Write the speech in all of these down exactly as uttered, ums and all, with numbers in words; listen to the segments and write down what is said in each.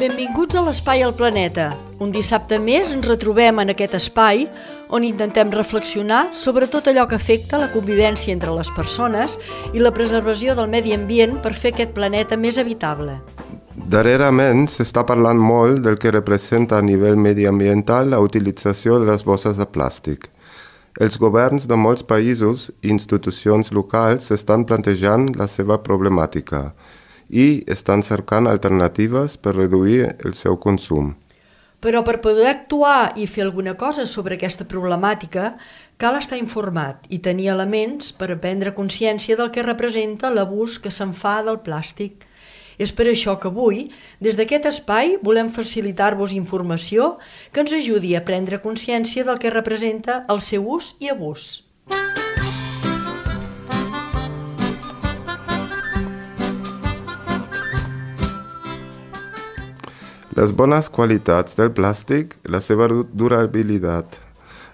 Benvinguts a l'Espai al Planeta. Un dissabte més ens retrobem en aquest espai on intentem reflexionar sobre tot allò que afecta la convivència entre les persones i la preservació del medi ambient per fer aquest planeta més habitable. Darrerament s'està parlant molt del que representa a nivell mediambiental la utilització de les bosses de plàstic. Els governs de molts països i institucions locals estan plantejant la seva problemàtica i estan cercant alternatives per reduir el seu consum. Però per poder actuar i fer alguna cosa sobre aquesta problemàtica, cal estar informat i tenir elements per prendre consciència del que representa l'abús que se'n fa del plàstic. És per això que avui, des d'aquest espai, volem facilitar-vos informació que ens ajudi a prendre consciència del que representa el seu ús i abús. Les bones qualitats del plàstic, la seva durabilitat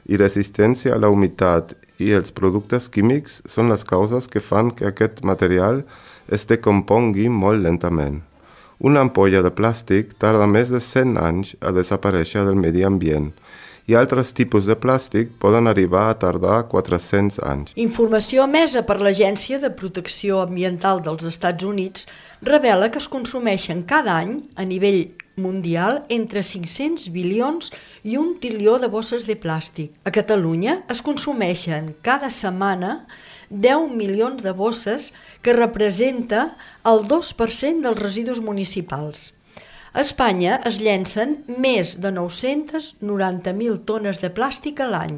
i resistència a la humitat i els productes químics són les causes que fan que aquest material es decompongui molt lentament. Una ampolla de plàstic tarda més de cent anys a desaparèixer del medi ambient i altres tipus de plàstic poden arribar a tardar quatre-cents anys. Informació emesa per l'Agència de Protecció Ambiental dels Estats Units revela que es consumeixen cada any, a nivell mundial, entre cinc-cents bilions i un trilió de bosses de plàstic. A Catalunya es consumeixen cada setmana deu milions de bosses, que representa el dos per cent dels residus municipals. A Espanya es llencen més de nou-centes noranta mil tones de plàstic a l'any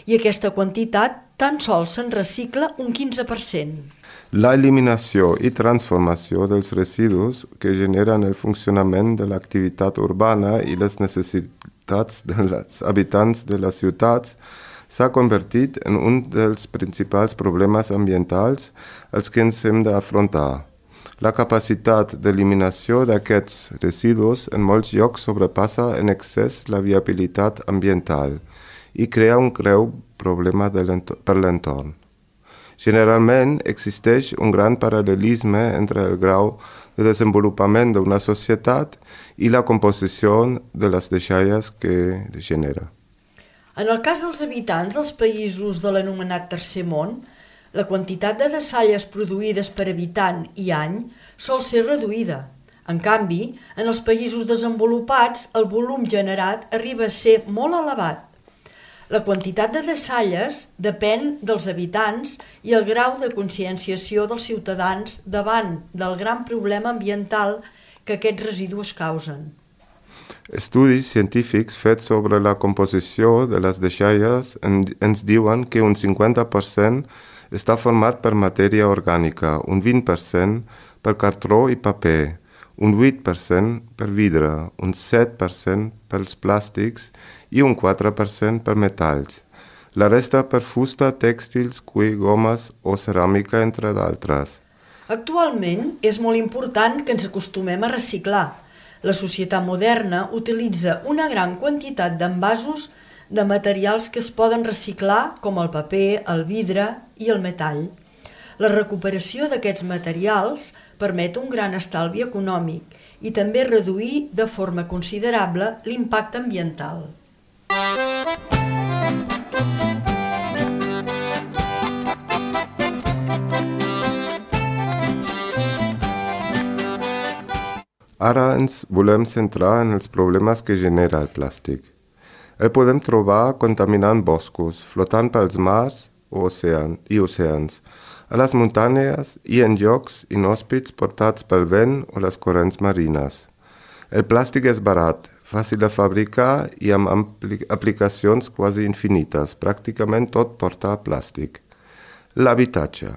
i aquesta quantitat tan sols se'n recicla un quinze per cent. La eliminació i transformació dels residus que generen el funcionament de l'activitat urbana i les necessitats dels habitants de les ciutats s'ha convertit en un dels principals problemes ambientals als que ens hem d'afrontar. La capacitat d'eliminació d'aquests residus en molts llocs sobrepassa en excés la viabilitat ambiental i crea un greu problema per l'entorn. Generalment existeix un gran paral·lelisme entre el grau de desenvolupament d'una societat i la composició de les deixalles que genera. En el cas dels habitants dels països de l'anomenat Tercer Món, la quantitat de deixalles produïdes per habitant i any sol ser reduïda. En canvi, en els països desenvolupats, el volum generat arriba a ser molt elevat. La quantitat de deixalles depèn dels habitants i el grau de conscienciació dels ciutadans davant del gran problema ambiental que aquests residus causen. Estudis científics fets sobre la composició de les deixalles ens diuen que un cinquanta per cent està format per matèria orgànica, un vint per cent per cartró i paper, un vuit per cent per vidre, un set per cent pels plàstics i un quatre per cent per metalls. La resta per fusta, tèxtils, cuir, gomes o ceràmica, entre d'altres. Actualment és molt important que ens acostumem a reciclar. La societat moderna utilitza una gran quantitat d'envasos de materials que es poden reciclar, com el paper, el vidre i el metall. La recuperació d'aquests materials permet un gran estalvi econòmic i també reduir de forma considerable l'impacte ambiental. Ara ens volem centrar en els problemes que genera el plàstic. El podem trobar contaminant boscos, flotant pels mars i oceans, a les muntanyes i en llocs inhòspits portats pel vent o les corrents marines. El plàstic és barat, fàcil de fabricar i amb aplicacions quasi infinites. Pràcticament tot porta plàstic. L'habitatge.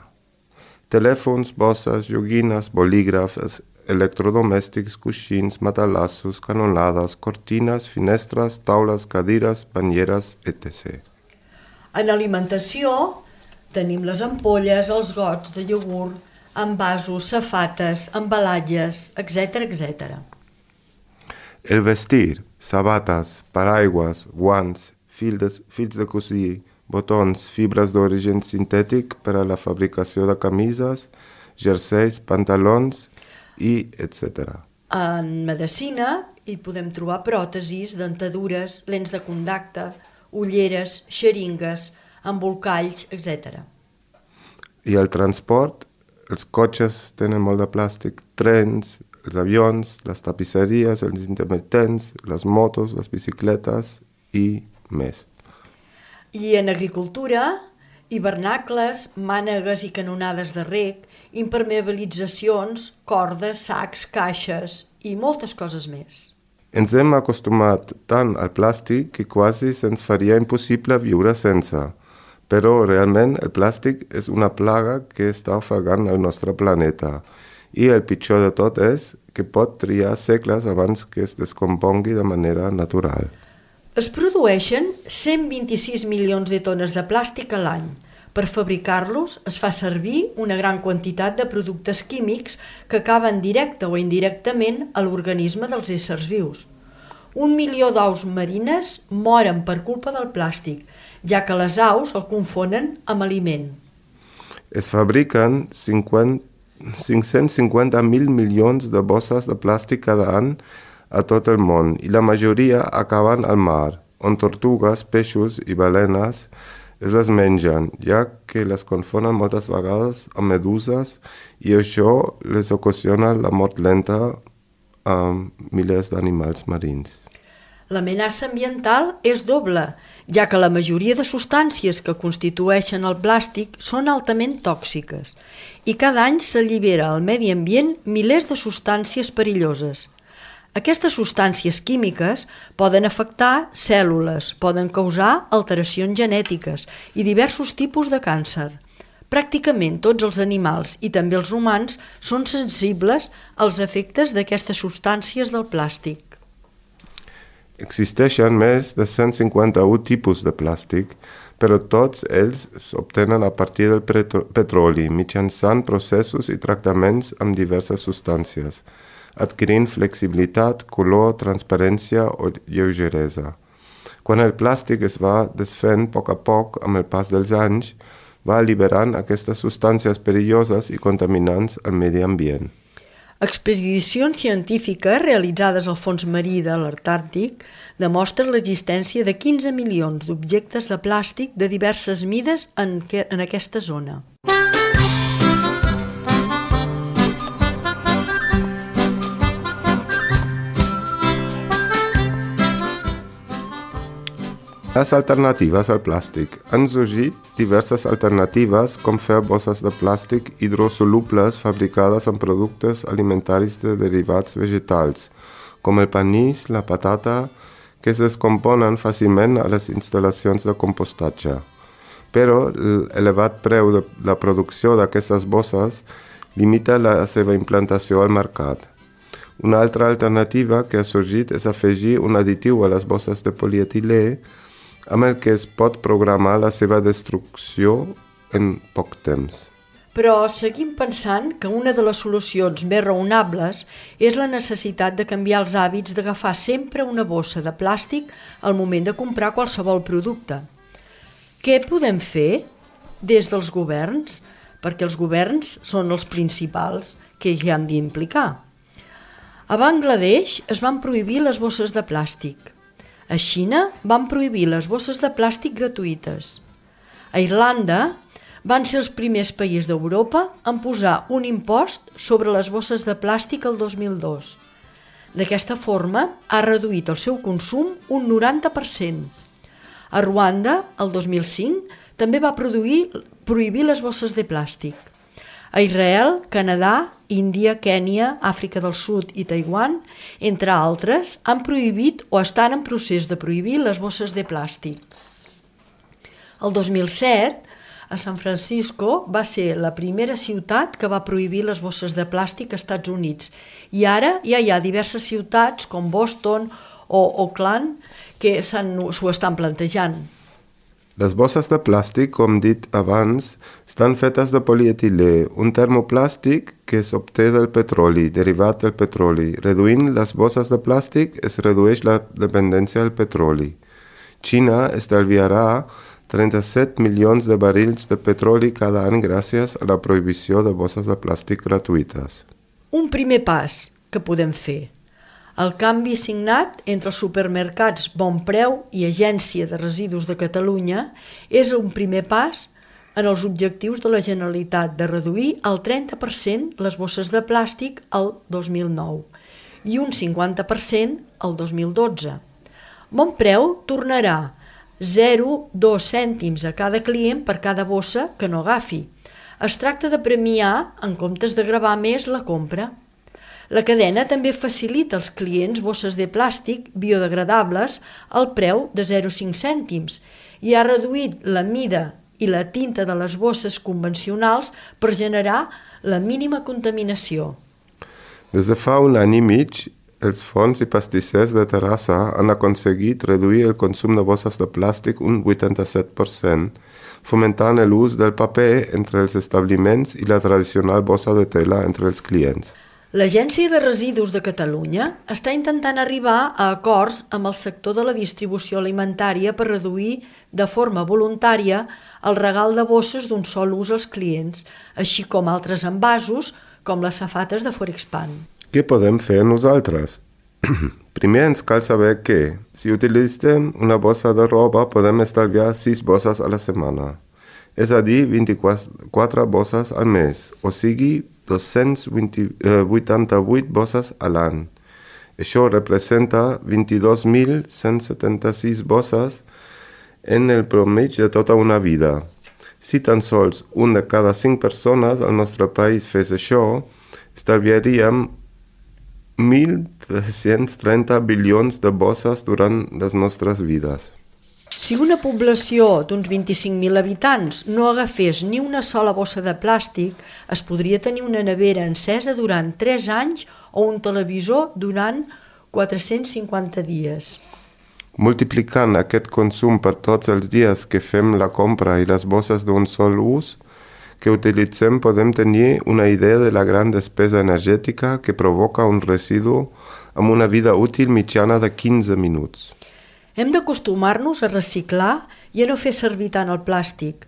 Telèfons, bosses, joguines, bolígrafs, electrodomèstics, coixins, matalassos, canonades, cortines, finestres, taules, cadires, banyeres, etcètera. En alimentació tenim les ampolles, els gots de iogurt, envasos, safates, embalatges, etcètera, etcètera. El vestir, sabates, paraigües, guants, fils de cosir, botons, fibres d'origen sintètic per a la fabricació de camises, jerseis, pantalons i etcètera. En medicina hi podem trobar pròtesis, dentadures, lents de contacte, ulleres, xeringues, embolcalls, etcètera. I el transport, els cotxes tenen molt de plàstic, trens, els avions, les tapisseries, els intermitents, les motos, les bicicletes i més. I en agricultura, hivernacles, mànegues i canonades de reg, impermeabilitzacions, cordes, sacs, caixes i moltes coses més. Ens hem acostumat tant al plàstic que quasi se'ns faria impossible viure sense. Però realment el plàstic és una plaga que està ofegant el nostre planeta. I el pitjor de tot és que pot triar segles abans que es descompongui de manera natural. Es produeixen cent vint-i-sis milions de tones de plàstic a l'any. Per fabricar-los es fa servir una gran quantitat de productes químics que acaben directe o indirectament a l'organisme dels éssers vius. Un milió d'aus marines moren per culpa del plàstic, ja que les aus el confonen amb aliment. Es fabriquen cinc-cents cinquanta mil milions de bosses de plàstic cada any a tot el món i la majoria acaben al mar, on tortugues, peixos i balenes es les mengen, ja que les confonen moltes vegades amb meduses i això les ocasiona la mort lenta a milers d'animals marins. L'amenaça ambiental és doble, ja que la majoria de substàncies que constitueixen el plàstic són altament tòxiques i cada any s'allibera al medi ambient milers de substàncies perilloses. Aquestes substàncies químiques poden afectar cèl·lules, poden causar alteracions genètiques i diversos tipus de càncer. Pràcticament tots els animals i també els humans són sensibles als efectes d'aquestes substàncies del plàstic. Existeixen més de cent cinquanta-un tipus de plàstic, però tots ells s'obtenen a partir del petroli mitjançant processos i tractaments amb diverses substàncies, adquirint flexibilitat, color, transparència o lleugeresa. Quan el plàstic es va desfent a poc a poc amb el pas dels anys, va alliberant aquestes substàncies perilloses i contaminants al medi ambient. Expedicions científiques realitzades al fons marí de l'Antàrtic demostren l'existència de quinze milions d'objectes de plàstic de diverses mides en, que, en aquesta zona. Les alternatives al plàstic. Han sorgit diverses alternatives com fer bosses de plàstic hidrosolubles fabricades amb productes alimentaris de derivats vegetals, com el panís, la patata, que es descomponen fàcilment a les instal·lacions de compostatge. Però l'elevat preu de la producció d'aquestes bosses limita la seva implantació al mercat. Una altra alternativa que ha sorgit és afegir un additiu a les bosses de polietilè amb el que es pot programar la seva destrucció en poc temps. Però seguim pensant que una de les solucions més raonables és la necessitat de canviar els hàbits d'agafar sempre una bossa de plàstic al moment de comprar qualsevol producte. Què podem fer des dels governs? Perquè els governs són els principals que hi han d'implicar. A Bangladesh es van prohibir les bosses de plàstic. A Xina van prohibir les bosses de plàstic gratuïtes. A Irlanda van ser els primers països d'Europa en posar un impost sobre les bosses de plàstic el dos mil dos. D'aquesta forma ha reduït el seu consum un noranta per cent. A Ruanda, el dos mil cinc, també va produir, prohibir les bosses de plàstic. A Israel, Canadà, Índia, Kènia, Àfrica del Sud i Taiwan, entre altres, han prohibit o estan en procés de prohibir les bosses de plàstic. El dos mil set, a San Francisco, va ser la primera ciutat que va prohibir les bosses de plàstic als Estats Units. I ara ja hi ha diverses ciutats, com Boston o Oakland, que s'ho estan plantejant. Les bosses de plàstic, com dit abans, estan fetes de polietilè, un termoplàstic que s'obté del petroli, derivat del petroli. Reduint les bosses de plàstic es redueix la dependència del petroli. Xina estalviarà trenta-set milions de barrils de petroli cada any gràcies a la prohibició de bosses de plàstic gratuïtes. Un primer pas, que podem fer. El canvi signat entre els supermercats Bon Preu i Agència de Residus de Catalunya és un primer pas en els objectius de la Generalitat de reduir el trenta per cent les bosses de plàstic el dos mil nou i un cinquanta per cent el dos mil dotze. Bon Preu tornarà zero coma dos cèntims a cada client per cada bossa que no agafi. Es tracta de premiar en comptes de gravar més la compra. La cadena també facilita als clients bosses de plàstic biodegradables al preu de zero coma cinc cèntims i ha reduït la mida i la tinta de les bosses convencionals per generar la mínima contaminació. Des de fa un any i mig, els forns i pastissers de Terrassa han aconseguit reduir el consum de bosses de plàstic un vuitanta-set per cent, fomentant l'ús del paper entre els establiments i la tradicional bossa de tela entre els clients. L'Agència de Residus de Catalunya està intentant arribar a acords amb el sector de la distribució alimentària per reduir de forma voluntària el regal de bosses d'un sol ús als clients, així com altres envasos, com les safates de Forexpan. Què podem fer nosaltres? Primer ens cal saber que, si utilitzem una bossa de roba, podem estalviar sis bosses a la setmana, és a dir, vint-i-quatre bosses al mes, o sigui, dos-cents vuitanta-vuit bosses a l'any. Això representa vint-i-dos mil cent setanta-sis bosses en el promig de tota una vida. Si tan sols un de cada cinc persones al nostre país fes això, estalviaríem mil tres-cents trenta bilions de bosses durant les nostres vides. Si una població d'uns vint-i-cinc mil habitants no agafés ni una sola bossa de plàstic, es podria tenir una nevera encesa durant tres anys o un televisor durant quatre-cents cinquanta dies. Multiplicant aquest consum per tots els dies que fem la compra i les bosses d'un sol ús que utilitzem, podem tenir una idea de la gran despesa energètica que provoca un residu amb una vida útil mitjana de quinze minuts. Hem d'acostumar-nos a reciclar i a no fer servir tant el plàstic.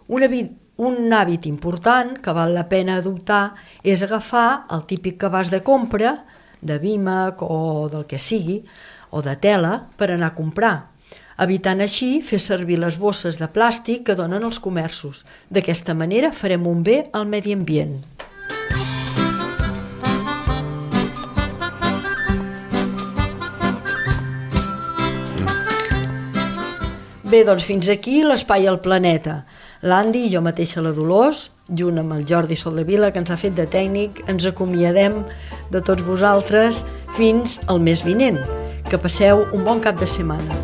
Un hàbit, un hàbit important que val la pena adoptar és agafar el típic cabàs de compra, de vímec o del que sigui, o de tela, per anar a comprar, evitant així fer servir les bosses de plàstic que donen els comerços. D'aquesta manera farem un bé al medi ambient. Bé, doncs fins aquí l'Espai al Planeta. L'Andi i jo mateixa, la Dolors, junt amb el Jordi Soldevila, que ens ha fet de tècnic, ens acomiadem de tots vosaltres fins al mes vinent. Que passeu un bon cap de setmana.